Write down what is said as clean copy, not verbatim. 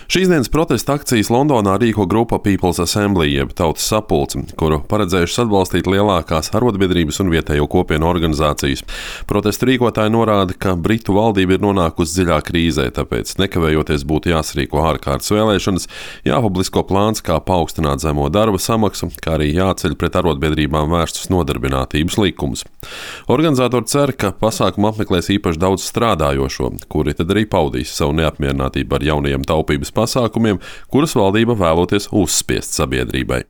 Šīs dienas protesta akcijas Londonā rīko grupa People's Assembly, jeb Tautas sapulce, kuru paredzējušas atbalstīt lielākās arotbiedrības un vietējo kopienu organizācijas. Protestu rīkotāji norāda, ka Britu valdība ir nonākusi dziļā krīzē, tāpēc nekavējoties būtu jāsarīko ārkārtas vēlēšanas, jāpublisko plāns, kā paaugstināt zemo darba samaksu, kā arī jāceļ pret arotbiedrībām vērstus nodarbinātības likumus. Organizatori cer, ka pasākumu apmeklēs īpaši daudz strādājošo, kuri tad arī paudīs savu neapmierinātību ar jaunajiem taupības pasākumiem, kurus valdība vēloties uzspiest sabiedrībai.